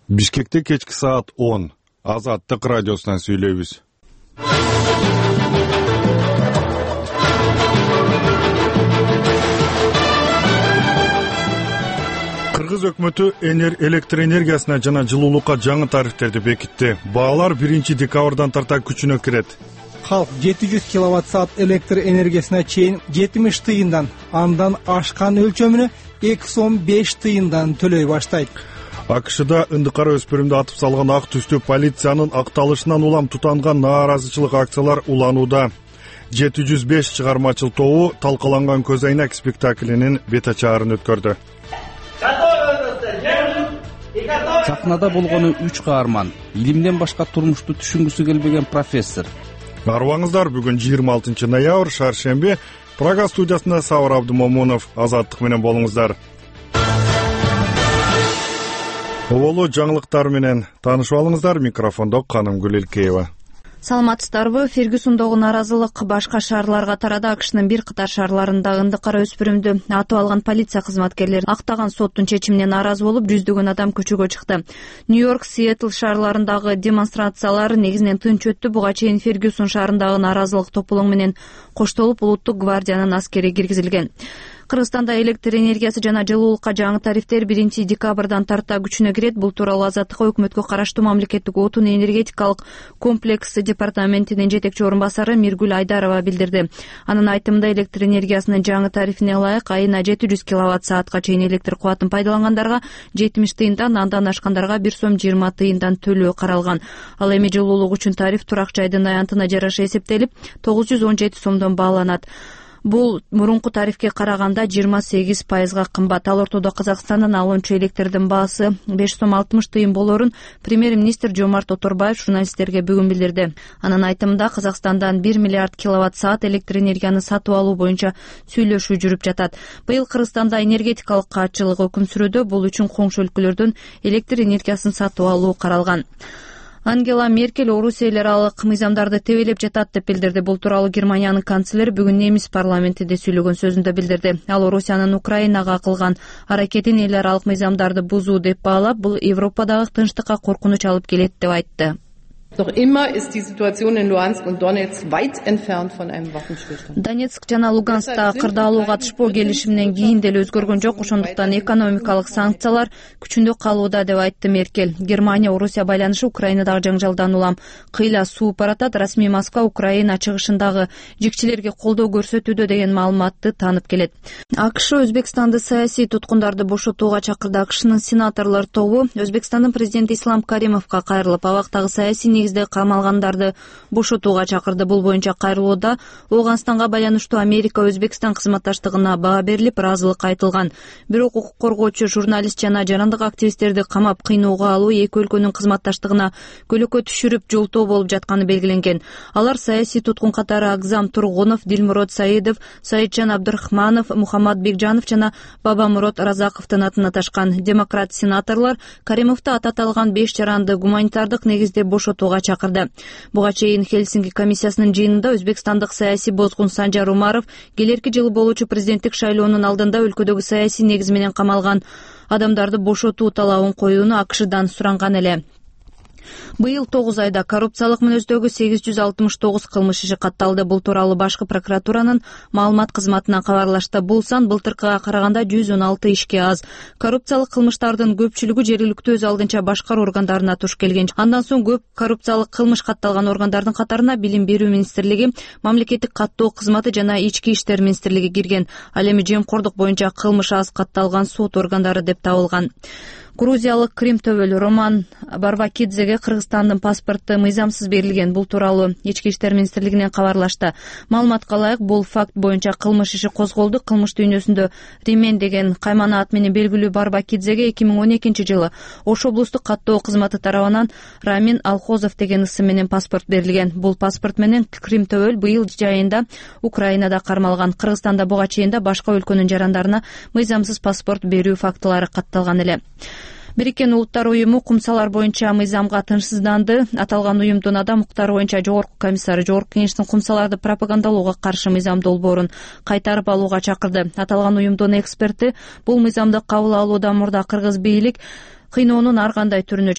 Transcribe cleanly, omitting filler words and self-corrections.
Бишкекте кечки саат 10. Азаттык радиосунан сүйлөйбүз. Кыргыз өкмөтү электр энергиясына жана жылуулукка жаңы тарифтерди бекитти. Баалар 1-декабрдан тарта күчүнө кирет. Халк 700 киловатт-саат электр энергиясына чейин 70 тыйындан, андан ашкан өлчөмүнө 215 тыйындан төлөй баштайт. АКШда ындыкара өспүрүмдү атып салган ак түстүү полициянын акталышынан улам тутанган нааразычылык акциялар уланууда. 705 чыгармачыл тобу талкаланган көз айнек спектаклинин бет ачаарын өткөрдү. Сахнада болгону 3 каарман, илимден башка турмушту түшүнгүсү келбеген профессор. Арыбаңыздар, бүгүн 26 ноябрь, шаршемби. Прага студиясында Сабыр Абдымомунов. Азаттык менен болуңуздар. Оболу жаңылыктар менен таанышып алыңыздар. Микрофондо Канымгүл Илкеева. Саламатсыздарбы? Фергюсондогу нааразылык башка шаарларга тарады. АКШнын бир катар шаарларында ындыкара өспүрүмдү атып алган полиция кызматкерлери актаган соттун чечимине нааразы болуп, жүздөгөн адам көчөгө чыкты. Нью-Йорк, Сиэтл шаарларындагы демонстрациялар негизинен тынч өттү. Буга чейин Фергюсон шаарындагы нааразылык топтолуң менен коштолуп, улуттук гвардиянын аскери киргизилген. Кыргызстанда электр энергиясы жана жылуулукка жаңы тарифтер 1-декабрдан тарта күчүнө кирет. Бул тууралуу Азаттыкка өкмөткө караштуу мамлекеттик отун энергетикалык комплекс департаментинин жетекчи орун басары Миргүл Айдарова билдирди. Анын айтымында, электр энергиясынын жаңы тарифине ылайык айына 700 киловатт-саатка чейин электр кубатын пайдалангандарга 70 тыйындан, андан ашкандарга 1 сом 20 тыйындан төлөө каралган. Ал эми жылуулук үчүн тариф турак жайдын аянтына жараша эсептелип 917 сомдон бааланат. Бул мурунку тарифке караганда 28% кымбат. Ал ортодо Казакстандан алынчу электрдин баасы 5 сом 60 тыйын болорун премьер-министр Жомарт Оторбаев журналисттерге бүгүн билдирди. Анын айтымында, Казакстандан 1 миллиард киловатт-саат электр энергияны сатып алуу боюнча сүйлөшүү жүрүп жатат. Быйыл Кыргызстанда энергетикалык каатчылык өкүм сүрүүдө. Бул үчүн коңшу өлкөлөрдөн электр энергиясын сатып алуу каралган. Ангела Меркель Орусия эл аралык мыйзамдарды тебелеп жатат деп билдирди. Бул тууралуу Германиянын канцлери бүгүн немис парламентинде сүйлөгөн сөзүндө билдирди. Ал Орусиянын Украинага кылган аракетин эл аралык мыйзамдарды бузуу деп баалап, бул Европадагы тынчтыкка коркунуч алып келет деп айтты. Noch immer ist die Situation in Luhansk und Donetsk weit entfernt von einem Waffenstillstand. Донецк жана Луганскта кырдаалуу катышпоо келишиминен кийин деле өзгөргөн жок. Ошондуктан экономикалык санкциялар күчүндө калууда деп айтты Меркель. Германия Орусия байланышы Украинадагы жаңжалдан улам кыйла сууп баратат. Расмий Москва Украина чыгышындагы жикчилерге колдоо көрсөтүүдө деген маалыматты таанып келет. АКШ Өзбекстанды саясий туткундарды бошотууга чакырды. АКШнын сенаторлор тобу Өзбекстандын президенти Ислам Каримовго кайрылып, абактагы саясий негизде камалгандарды бошотууга чакырды. Бул боюнча кайрылууда Ооганстанга байланыштуу Америка Өзбекстан кызматташтыгына баа берилип, ыраазылык айтылган. Бирок укук коргоочу, журналист жана жарандык активисттерди камап кыйноого алуу эки өлкөнүн кызматташтыгына көлөкө түшүрүп жолтоо болуп жатканы белгиленген. Алар саясий туткун катары Акзам Тургунов, Дилмурод Саидов, Саиджан Абдурахманов, Мухаммад Бекжанов жана Бабамурод Разаковдун атын аташкан. Демократ сенаторлор Каримовду аталган 5 жаранды гуманитардык негизде бошотууга чакырды. Буга чейин Хельсинки комиссиясынын жыйынында өзбекстандык саясий бозгун Санжар Умаров келерки жылы болуучу президенттик шайлоонун алдында өлкөдөгү саясий негиз менен камалган адамдарды бошотуу талабын коюуну АКШдан суранган эле. Быйыл 9 айда коррупциялык мүнөздөгү 869 кылмыш иши катталды. Бул тууралуу башкы прокуратуранын маалымат кызматынан кабарлашты. Бул сан былтыркыга караганда 116 ишке аз. Коррупциялык кылмыштардын көпчүлүгү жергиликтүү өз алдынча башкаруу органдарына туш келген. Андан соң көп коррупциялык кылмыш катталган органдардын катарына Билим берүү министрлиги, Мамлекеттик каттоо кызматы жана Ички иштер министрлиги кирген. Ал эми жемкордук боюнча кылмыш аз катталган сот органдары деп табылган. Грузиялык Крим төбөлү Роман Барбакидзеге Кыргызстандын паспорту мыйзамсыз берилген. Бул тууралуу Ички иштер министрлигинен кабарлашты. Маалыматка ылайык, бул факт боюнча кылмыш иши козголду. Кылмыш дүйнөсүндө Римен деген каймана ат менен белгилүү Барбакидзеге 2012 жылы Ош облустук каттоо кызматы тарабынан Рамин Алхозов деген ысым менен паспорт берилген. Бул паспорт менен Крим төбөл быйыл жайында Украинада кармалган. Кыргызстанда буга чейин башка өлкөнүн жарандарына мыйзамсыз паспорт берүү фактылары катталган эле. Бириккен Улуттар уюму кумсалар боюнча мыйзамга тынчсызданды. Аталган уюмдун адам укуктары боюнча жогорку комиссары Жогорку кеңештин кумсаларды пропагандалоого каршы мыйзам долбоорун кайтарып алууга чакырды. Аталган уюмдун эксперти бул мыйзамды кабыл алуудан мурда кыргыз бийлик кыйноонун ар кандай түрүнө